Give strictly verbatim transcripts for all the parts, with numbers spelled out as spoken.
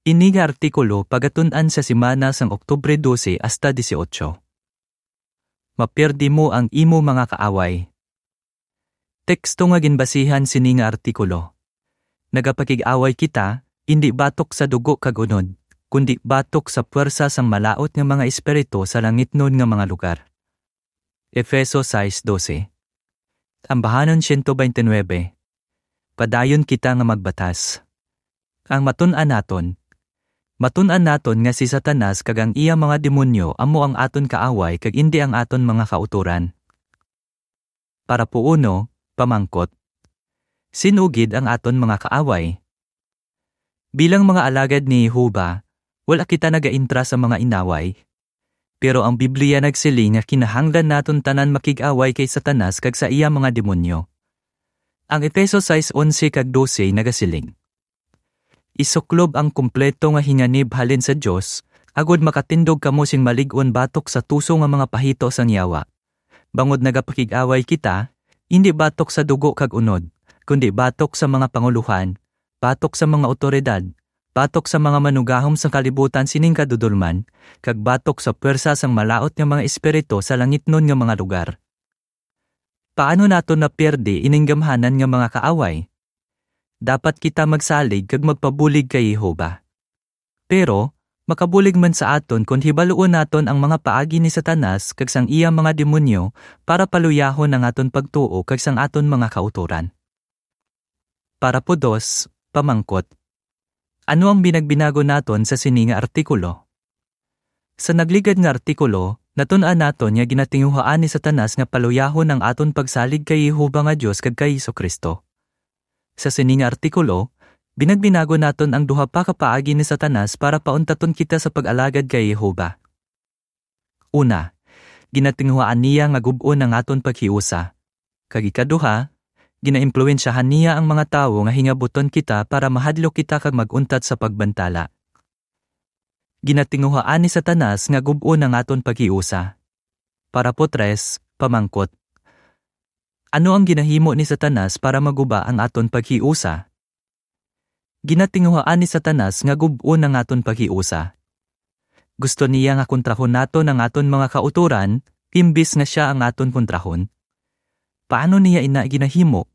Ini nga artikulo pagatun-an sa semana sang Oktubre dose hasta dieciocho. Mapiyerde mo ang imo mga kaaway. Teksto nga ginbasihan sini nga artikulo. Nagapakig-away kita, indi batok sa dugo kag unod, kundi batok sa puwersa sang malaut nga mga espiritu sa langitnon nga mga lugar. Efeso sais dose. Tambahanon siyento bente nuebe. Padayon kita nga magbatas. Ang matun-an naton. Matun-an naton nga si Satanas kag ang iya mga demonyo amo ang aton kaaway kag indi ang aton mga kautoran. Parapo uno, pamangkot. Sin-o gid ang aton mga kaaway? Bilang mga alagad ni Jehovah, wala kita nagaintra sa mga inaway. Pero ang Biblia nagsiling nga kinahanglan naton tanan makig-away kay Satanas kag sa iya mga demonyo. Ang Efeso sais onse kag dose nagasiling, "Isuklob ang kompleto nga hinganib halin sa Dios, agod makatindog kamo sing malig-on batok sa tuso nga mga pahito sang yawa. Bangod nagapakig-away kita, indi batok sa dugo kag unod, kundi batok sa mga pangulohan, batok sa mga awtoridad, batok sa mga manugahom sang kalibutan sining kadudolman, kag batok sa puwersa sang malaut nga mga espiritu sa langitnon nga mga lugar." Paano naton napiyerde ining gamhanan nga mga kaaway? Dapat kita magsalig kag magpabulig kay Jehovah. Pero, makabulig man sa aton kon hibaluon naton ang mga paagi ni Satanas kag sang iya mga demonyo para paluyahon ang aton pagtuo kag sang aton mga kautoran. Parapo dos, pamangkot. Ano ang binagbinago naton sa sini nga artikulo? Sa nagligad nga artikulo, natun-an naton nga ginatinguhaan ni Satanas nga paluyahon ang aton pagsalig kay Jehovah nga Dios kag kay Jesu-Cristo. Sa sini nga artikulo, binagbinago naton ang duha pa ka paagi ni Satanas para pauntaton kita sa pag-alagad kay Jehovah. Una, ginatinguhaan niya nga gub-on ang aton paghiusa. Kag ikaduha, ginaimpluwensyahan niya ang mga tawo nga hingabuton kita para mahadlok kita kag mag-untat sa pagbantala. Ginatinguhaan ni Satanas nga gub-on ang aton paghiusa. Parapo tres, pamangkot. Ano ang ginahimo ni Satanas para maguba ang aton paghiusa? Ginatinguhaan ni Satanas nga gub-on ang aton paghiusa. Gusto niya nga kontrahon naton ang aton mga kautoran, imbis nga sia ang aton kontrahon. Paano niya ina ginahimo?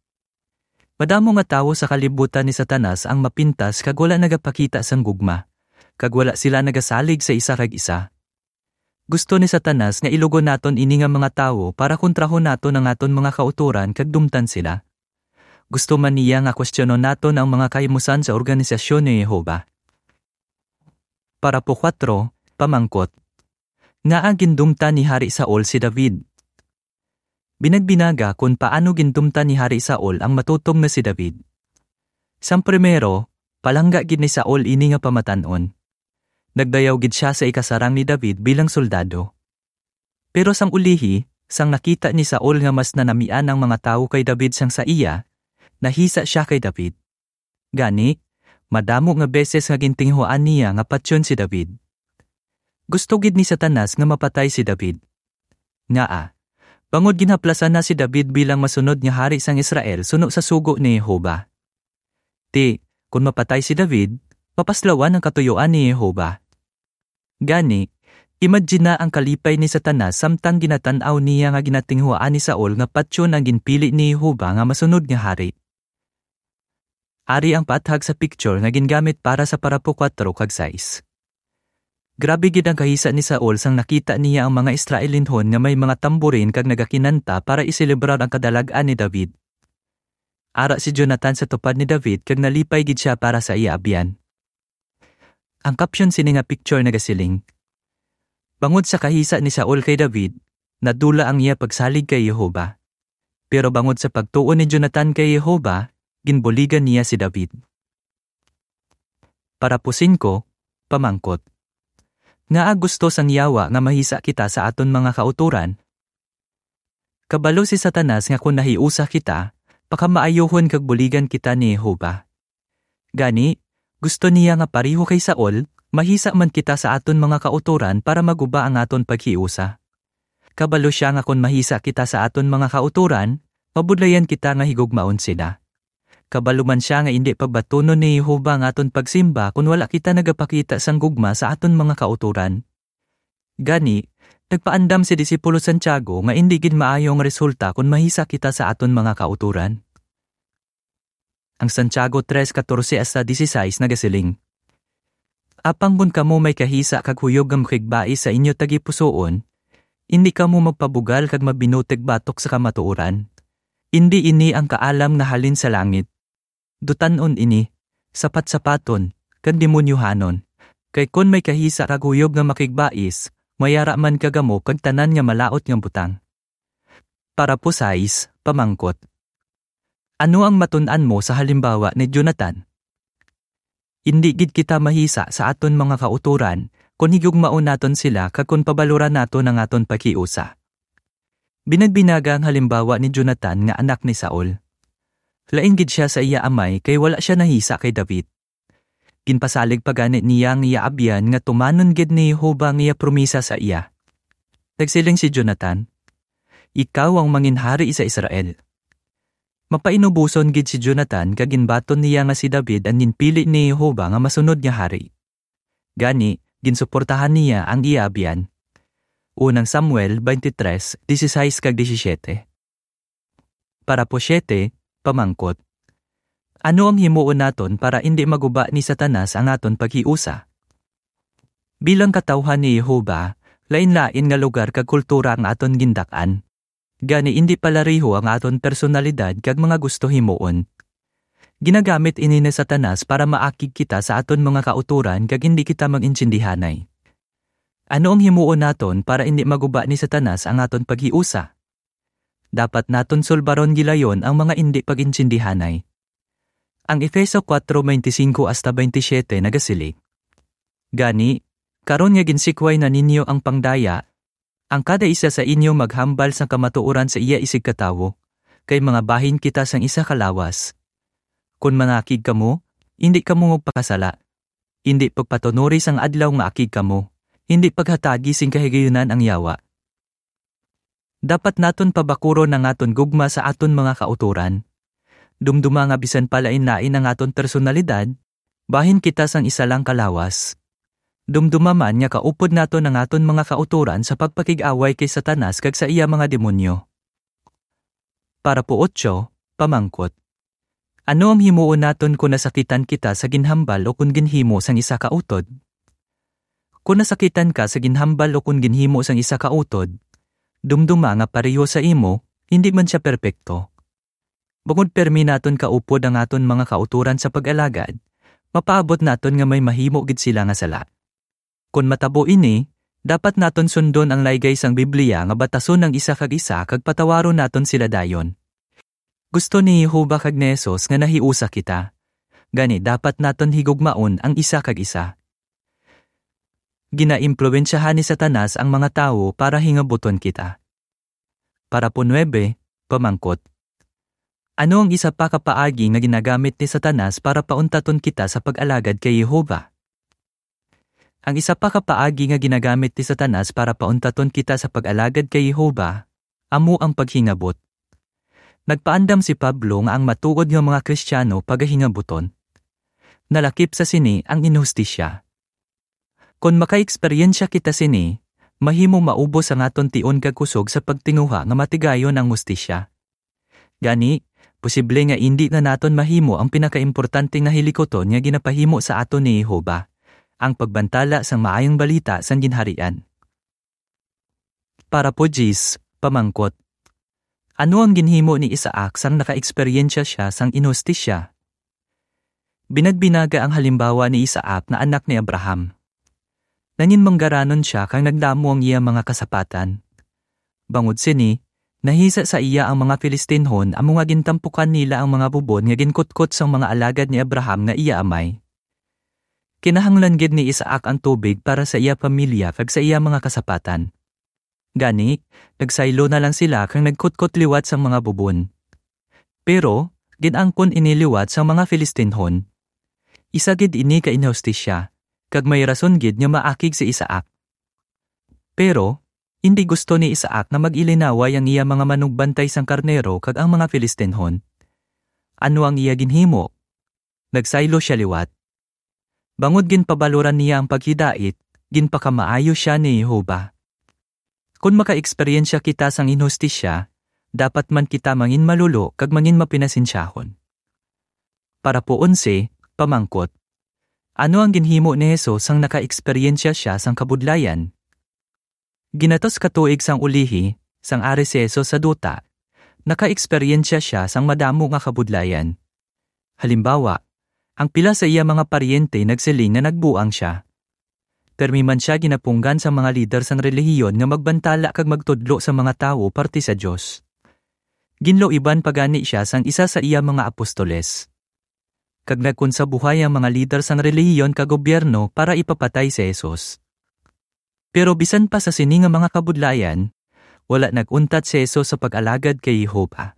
Madamo nga tawo sa kalibutan ni Satanas ang mapintas kag wala nagapakita sang gugma, kag wala sila nagasalig sa isa kag isa. Gusto ni Satanas nga ilugon naton ini nga mga tawo para kontrahon naton ang aton mga kautoran kag dumtan sila. Gusto man niya nga kwestiyonon naton ang mga kahimusan sa organisasyon ni Jehovah. Parapo kuwatro, pamangkot. Ngaa gindumtan ni Hari Saul si David? Binagbinaga kon paano gindumtan ni Hari Saul ang matutom nga si David. Sang primero, palangga gid ni Saul ini nga pamatan-on. Nagdayaw gid sia sa ikasarang ni David bilang soldado. Pero sang ulihi, sang nakita ni Saul nga mas nanamian ang mga tawo kay David sang sa iya, nahisa sia kay David. Gani, madamo nga beses nga gintinguhaan niya nga patyon si David. Gusto gid ni Satanas nga mapatay si David. Ngaa, bangod ginhaplasan na si David bilang masunod nga hari sang Israel suno sa sugo ni Jehovah. Ti, kon mapatay si David, mapaslawan ang katuyoan ni Jehovah. Gani, imagina ang kalipay ni Satanas samtang ginatan-aw niya nga ginatinguhaan ni Saul nga patyon ang ginpili ni Jehovah nga masunod nga hari. Ari ang paathag sa picture nga gingamit para sa parapo kuwatro kag sais. Grabe gid ang kahisa ni Saul sang nakita niya ang mga Israelinhon nga may mga tamborin kag nagakinanta para iselebrar ang kadalag-an ni David. Ara si Jonathan sa tupad ni David kag nalipay gid sia para sa iya abyan. Ang caption sini nga picture nagasiling, "Bangod sa kahisa ni Saul kay David, nadula ang iya pagsalig kay Jehovah. Pero bangod sa pagtuo ni Jonathan kay Jehovah, ginbuligan niya si David." Parapo singko, pamangkot. Ngaa gusto sang yawa nga mahisa kita sa aton mga kautoran? Kabalo si Satanas nga kon nahiusa kita, pakamaayohon kag buligan kita ni Jehovah. Gani, gusto niya nga pareho kay Saul, mahisa man kita sa aton mga kautoran para maguba ang aton paghiusa. Kabalo sia nga kon mahisa kita sa aton mga kautoran, mabudlayan kita nga higugmaon sila. Kabalo man sia nga indi pagbatunon ni Jehovah ang aton pagsimba kon wala kita nagapakita sang gugma sa aton mga kautoran. Gani, nagpaandam si disipulo Santiago nga indi gid maayo ang resulta kon mahisa kita sa aton mga kautoran. Ang Santiago tres catorce hasta dieciséis nagasiling, "Apang kon kamo may kahisa kag huyog nga makigbais sa inyo tagipusoon, indi kamo magpabugal kag mabinutig batok sa kamatuoran. Indi ini ang kaalam nga halin sa langit. Dutan-on ini, sapat-sapaton, kag demonyohanon. Kay kon may kahisa kag huyog nga makigbais, mayara man ka kamo kag tanan nga malaut nga butang." Parapo sais, pamangkot, ano ang matun-an mo sa halimbawa ni Jonathan? Indi gid kita mahisa sa aton mga kautoran kon higugmaon naton sila kag kon pabaloran naton ang aton paghiusa. Binagbinaga ang halimbawa ni Jonathan nga anak ni Saul. Lain gid sia sa iya amay kay wala sia nahisa kay David. Ginpasalig pa gani niya ang iya abyan nga tumanon gid ni Jehovah ang iya promisa sa iya. Nagsiling si Jonathan, "Ikaw ang manginhari sa Israel." Mapainuboson gid si Jonathan kag ginbaton niya nga si David ang ginpili ni Jehovah nga masunod nga hari. Gani, ginsuportahan niya ang iya abyan. Unang Samuel twenty-three, dieciséis kag disisyete. Parapo siete, pamangkot, ano ang himuon naton para indi maguba ni Satanas ang aton paghiusa? Bilang katawuhan ni Jehovah, lain-lain nga lugar kag kultura ang aton gindak-an. Gani, indi palareho ang aton personalidad kag mga gusto himuon. Ginagamit ini ni Satanas para maakig kita sa aton mga kautoran kag indi kita mag-intindihanay. Ano ang himuon naton para indi maguba ni Satanas ang aton paghiusa? Dapat naton sulbaron gilayon ang mga indi pag-intindihanay. Ang Efeso kuwatro, bente singko hasta bente siyete nagasiling, "Gani, karon nga ginsikway na ninyo ang pangdaya, ang kada isa sa inyo maghambal sang kamatuoran sa iya isigkatawo, kay mga bahin kita sang isa ka lawas. Kon mangakig kamo, indi kamo magpakasala. Indi pagpatunori sang adlaw nga akig kamo, indi paghatagi sing kahigayunan ang yawa." Dapat naton pabakuron ang aton gugma sa aton mga kautoran. Dumduma nga bisan pa lain-lain ang aton personalidad, bahin kita sang isa lang ka lawas. Dumduma man nga kaupod naton ang aton mga kautoran sa pagpakig-away kay Satanas kag sa iya mga demonyo. Parapo otso, pamangkot, ano ang himuon naton kon nasakitan kita sa ginhambal o kon ginhimo sang isa ka utod? Kon nasakitan ka sa ginhambal o kon ginhimo sang isa ka utod, dumduma nga pareho sa imo, hindi man sia perpekto. Bangod pirme naton kaupod ang aton mga kautoran sa pag-alagad, mapaabot naton nga may mahimo gid sila nga sala. Kon matabo ini, dapat naton sundon ang laygay sang Biblia nga batason ang isa kag isa kag patawaron naton sila dayon. Gusto ni Jehovah kag ni Jesus nga nahiusa kita. Gani, dapat naton higugmaon ang isa kag isa. Ginaimpluwensyahan ni Satanas ang mga tawo para hingabuton kita. Parapo nuebe, pamangkot, ano ang isa pa ka paagi nga ginagamit ni Satanas para pauntaton kita sa pag-alagad kay Jehovah? Ang isa pa ka paagi nga ginagamit ni Satanas para pauntaton kita sa pag-alagad kay Jehovah amo ang paghingabot. Nagpaandam si Pablo nga ang matuod nga mga Kristiyano pagahingabuton. Nalakip sa sini ang inhustisya. Kon makaeksperyensya kita sini, mahimo maubos ang aton tion kag kusog sa pagtinguha nga matigayon ang hustisya. Gani, posible nga indi na naton mahimo ang pinakaimportante nga hilikuton nga ginapahimo sa aton ni Jehovah, ang pagbantala sang Maayong Balita sang Ginharian. Parapo diyes, pamangkot, ano ang ginhimo ni Isaac sang nakaeksperyensya sia sang inhustisya? Binagbinaga ang halimbawa ni Isaac nga anak ni Abraham. Nangin manggaranon sia kag nagdamo ang iya mga kasapatan. Bangod sini, nahisa sa iya ang mga Filistinhon, amo nga gintampukan nila ang mga bubon nga ginkutkot sang mga alagad ni Abraham nga iya amay. Kinahanglan gid ni Isaac ang tubig para sa iya pamilya kag sa iya mga kasapatan. Gani, nagsaylo na lang sila kag nagkutkot liwat sang mga bubon. Pero, gin-angkon ini liwat sang mga Filistinhon. Isa gid ini ka inhustisya, kag may rason gid nga maakig si Isaac. Pero, indi gusto ni Isaac nga mag-ilinaway ang iya mga manugbantay sang karnero kag ang mga Filistinhon. Ano ang iya ginhimo? Nagsaylo sia liwat. Bangod ginpabaloran niya ang paghidait, ginpakamaayo sia ni Jehovah. Kon makaeksperyensya kita sang inhustisya, dapat man kita mangin malulo kag mangin mapinasensyahon. Parapo onse, pamangkot. Ano ang ginhimo ni Jesus sang nakaeksperyensya sia sang kabudlayan? Ginatos ka tuig sang ulihi, sang ari si Jesus sa duta, nakaeksperyensya sia sang madamo nga kabudlayan. Halimbawa, ang pila sa iya mga paryente nagsiling nga nagbuang sia. Pirmi man sia ginapunggan sang mga lider sang relihiyon nga magbantala kag magtudlo sa mga tawo parte sa Dios. Ginluiban pa gani sia sang isa sa iya mga apostoles. Kag nagkonsabuhay ang mga lider sang relihiyon kag gobyerno para ipapatay si Jesus. Pero bisan pa sa sini nga mga kabudlayan, wala nag-untat si Jesus sa pag-alagad kay Jehovah.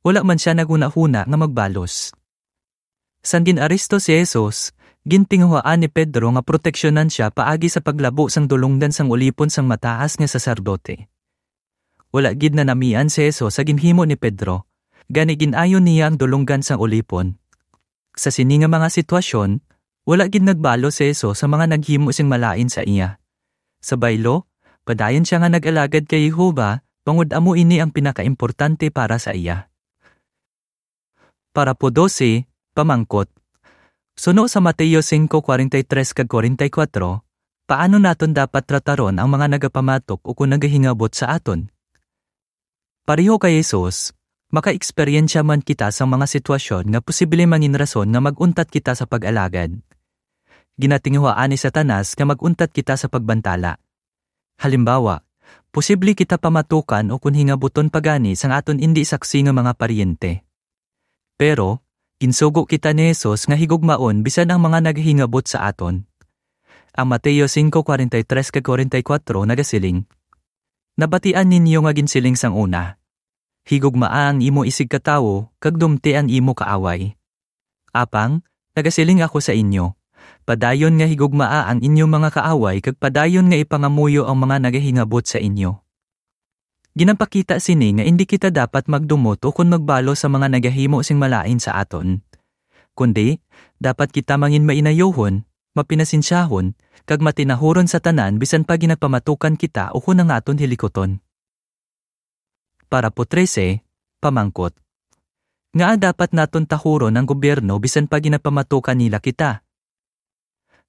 Wala man sia naghunahuna nga magbalos. Sang gin-aresto si Jesus, gintinguhaan ni Pedro nga proteksyonan sia paagi sa paglabo sang dulonggan sang ulipon sang mataas nga saserdote. Wala gid nanamian si Jesus sa ginhimo ni Pedro, gani gin-ayo niya ang dulonggan sang ulipon. Sa sini nga mga sitwasyon, wala gid nagbalos si Jesus sa mga naghimo sing malain sa iya. Sa baylo, padayon sia nga nag-alagad kay Jehovah, bangod amo ini ang pinakaimportante para sa iya. Parapo dose, pamangkot. Suno sa Mateo singko kwarenta y tres kag kwarenta y kuwatro, paano naton dapat trataron ang mga nagapamatok o kon nagahingabot sa aton? Pareho kay Jesus, makaeksperyensya man kita sang mga sitwasyon nga posible mangin rason nga mag-untat kita sa pag-alagad. Ginatinguhaan ni Satanas nga mag-untat kita sa pagbantala. Halimbawa, posible kita pamatukan o kon hingabuton pa gani sang aton indi saksi nga mga paryente. Pero, ginsugo kita ni Jesus nga higugmaon bisan ang mga nagahingabot sa aton. Ang Mateo singko kwarenta y tres kag kwarenta y kuwatro nagasiling, "Nabatian ninyo nga ginsiling sang una, 'Higugmaa ang imo isigkatawo, kag dumti ang imo kaaway.' Apang, nagasiling ako sa inyo, padayon nga higugmaa ang inyo mga kaaway kag padayon nga ipangamuyo ang mga nagahingabot sa inyo." Ginapakita sini nga indi kita dapat magdumot ukon magbalo sa mga nagahimo sing malain sa aton. Kundi, dapat kita mangin mainayohon, mapinasensyahon, kag matinahuron sa tanan bisan pa ginapamatukan kita ukon ang aton hilikuton. Parapo trese, pamangkot. Ngaa dapat naton tahuron ang gobyerno bisan pa ginapamatukan nila kita?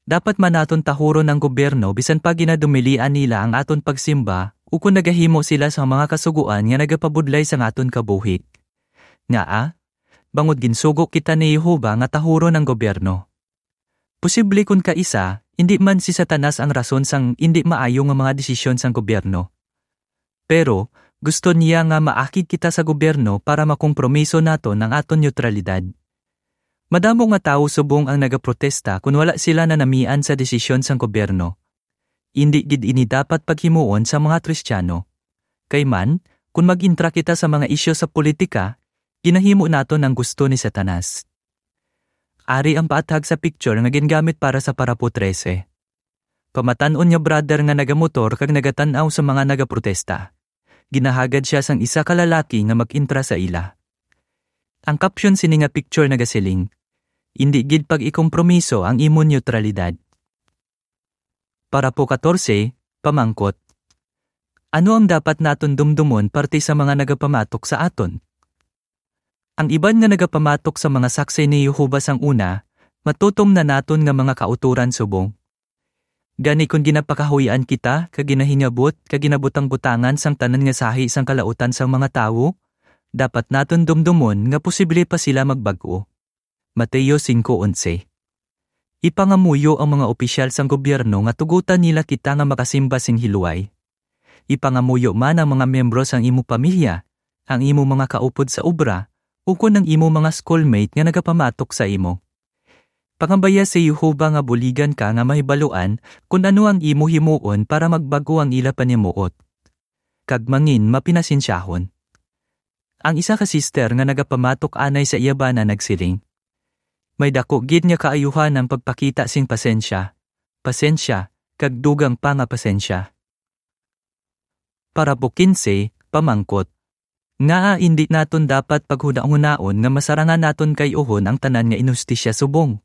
Dapat man naton tahuron ang gobyerno bisan pa ginadumilian nila ang aton pagsimba ukon nagahimo sila sang mga kasugoan nga nagapabudlay sang aton kabuhi. Ngaa? Bangod ginsugo kita ni Jehovah nga tahuron ang gobyerno. Posible kon kaisa, indi man si Satanas ang rason sang indi maayo nga mga desisyon sang gobyerno. Pero, gusto niya nga maakig kita sa gobyerno para makompromiso naton ang aton neutralidad. Madamo nga tawo subong ang nagaprotesta kon wala sila nanamian sa desisyon sang gobyerno. Indi gid ini dapat paghimuon sa mga Kristiyano. Kay man, kon mag-intra kita sa mga isyu sa politika, ginahimo naton ang gusto ni Satanas. Ari ang paathag sa picture nga gingamit para sa parapo trese. Pamatan-on nga brother nga nagamotor kag nagatan-aw sa mga nagaprotesta. Ginahagad sia sang isa ka lalaki nga mag-intra sa ila. Ang caption sini nga picture nagasiling, "Indi gid pag-ikompromiso ang imo neutralidad." Parapo katorse, pamangkot. Ano ang dapat naton dumdumon parte sa mga nagapamatok sa aton? Ang iban nga nagapamatok sa mga Saksi ni Jehovah sang una, matutom na naton nga mga kautoran subong. Gani, kon ginapakahuy-an kita kag ginahingabot kag ginabutang-butangan sang tanan nga sahi sang kalautan sang mga tawo, dapat naton dumdumon nga posible pa sila magbag-o. Mateo singko onse. Ipangamuyo ang mga opisyal sang gobyerno nga tugutan nila kita nga makasimba sing hiluway. Ipangamuyo man ang mga miyembro sang imo pamilya, ang imo mga kaupod sa obra, ukon ang imo mga schoolmate nga nagapamatok sa imo. Pangabaya si Jehovah nga buligan ka nga mahibaluan kon ano ang imo himuon para magbag-o ang ila panimuot, kag mangin mapinasensyahon. Ang isa ka sister nga nagapamatok anay sa iya bana nagsiling, "May daku gid nga kaayuhan ang pagpakita sing pasensya, pasensya, kag dugang pa nga pasensya." Parapo kinse, pamangkot. Ngaa indi naton dapat paghunahunaon nga masarangan naton kay-uhon ang tanan nga inustisya subong?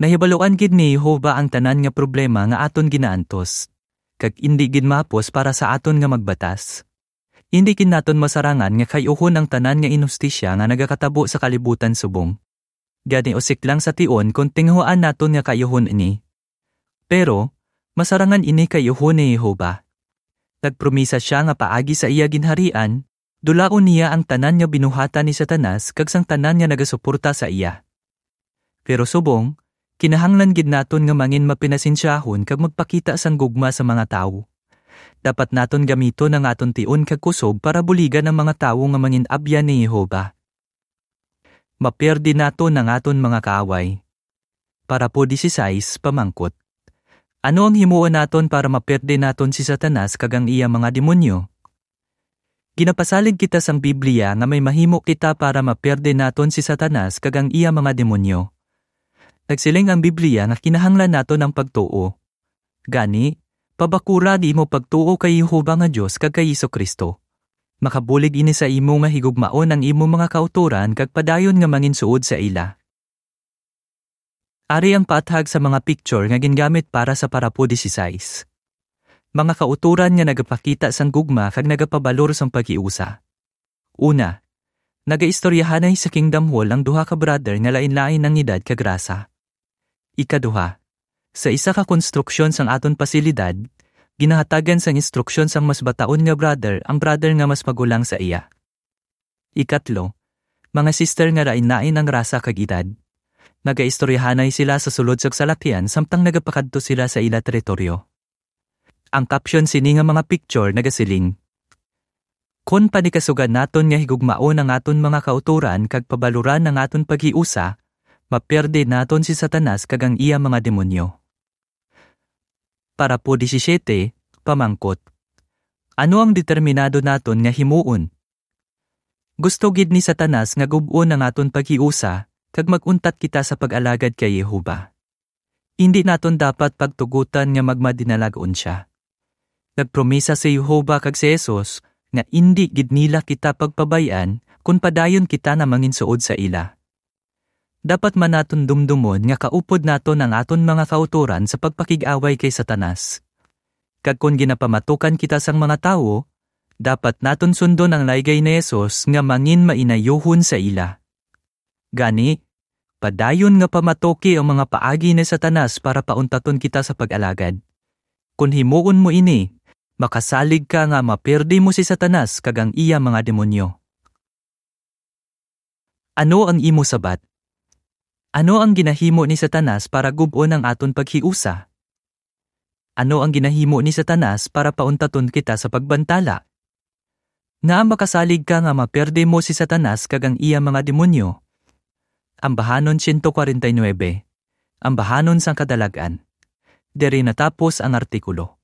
Nahibaluan gid ni Jehovah ang tanan nga problema nga aton ginaantos, kag indi gid mahapos para sa aton nga magbatas. Indi gid naton masarangan nga kay-uhon ang tanan nga inustisya nga nagakatabo sa kalibutan subong. Gani usik lang sa tion kon tinguhaan naton nga kay-uhon ini. Pero, masarangan ini kay-uhon ni Jehovah. Nagpromisa sia nga paagi sa iya ginharian, dulaon niya ang tanan nga binuhatan ni Satanas kag sang tanan nga nagasuporta sa iya. Pero subong, kinahanglan gid naton nga mangin mapinasensyahon kag magpakita sang gugma sa mga tawo. Dapat naton gamiton ang aton tion kag kusob para buligan ang mga tawo nga mangin-abyan ni Jehovah. Mapierde naton ang aton mga kaaway. Parapo dieciséis, pamangkot: Ano ang himuon naton para mapierde naton si Satanas kag ang iya mga demonyo? Ginapasalig kita sang Biblia nga may mahimo kita para mapierde naton si Satanas kag ang iya mga demonyo. Nagsiling ang Biblia nga kinahanglan naton ang pagtuo. Gani, pabakura ang imo pagtuo kay Jehovah nga Dios kag kay Jesu-Cristo. Makabulig ini sa imo nga higugmaon ang imo mga kautoran kag padayon nga manginsuod sa ila. Ari ang paathag sa mga picture nga gingamit para sa parapo dieciséis. Mga kautoran nga nagapakita sang gugma kag nagapabalor sang paghiusa. Una, nagaistoryahanay sa Kingdom Hall ang duha ka brother nga lain-lain ang edad kag rasa. Ikaduha, sa isa ka konstruksyon sang aton pasilidad, ginahatagan sang instruksyon sang mas bataon nga brother ang brother nga mas magulang sa iya. Ikatlo, mga sister nga lain-lain ang rasa kag edad. Nagaistoryahanay sila sa sulod sa salakyan samtang nagapakadto sila sa ila teritoryo. Ang caption sini nga mga picture nagasiling: Kon panikasugan naton nga higugmaon ang aton mga kautoran kag pabaluran ang aton paghiusa, mapierde naton si Satanas kag ang iya mga demonyo. Parapo diecisiete, pamangkot: Ano ang determinado naton nga himuon? Gusto gid ni Satanas nga gub-on ang aton paghiusa, kag mag-untat kita sa pag-alagad kay Jehovah. Indi naton dapat pagtugotan nga magmadinalag-on sia. Nagpromisa si Jehovah kag si Jesus nga indi gid nila kita pagpabay-an kon padayon kita nga manginsuod sa ila. Dapat man naton dumdumon nga kaupod naton ang aton mga kautoran sa pagpakig-away kay Satanas. Kag kon ginapamatukan kita sang mga tawo, dapat naton sundon ang laygay ni Jesus nga mangin-mainayuhon sa ila. Gani, padayon nga pamatuki ang mga paagi ni Satanas para pauntaton kita sa pag-alagad. Kon himuon mo ini, makasalig ka nga mapierde mo si Satanas kag ang iya mga demonyo. Ano ang imo sabat? Ano ang ginahimo ni Satanas para gub-on ang aton paghiusa? Ano ang ginahimo ni Satanas para pauntaton kita sa pagbantala? Ngaa makasalig ka nga mapierde mo si Satanas kag ang iya mga demonyo? Ambahanon siyento kwarenta y nuebe. Ambahanon sang Kadalag-an. Diri natapos ang artikulo.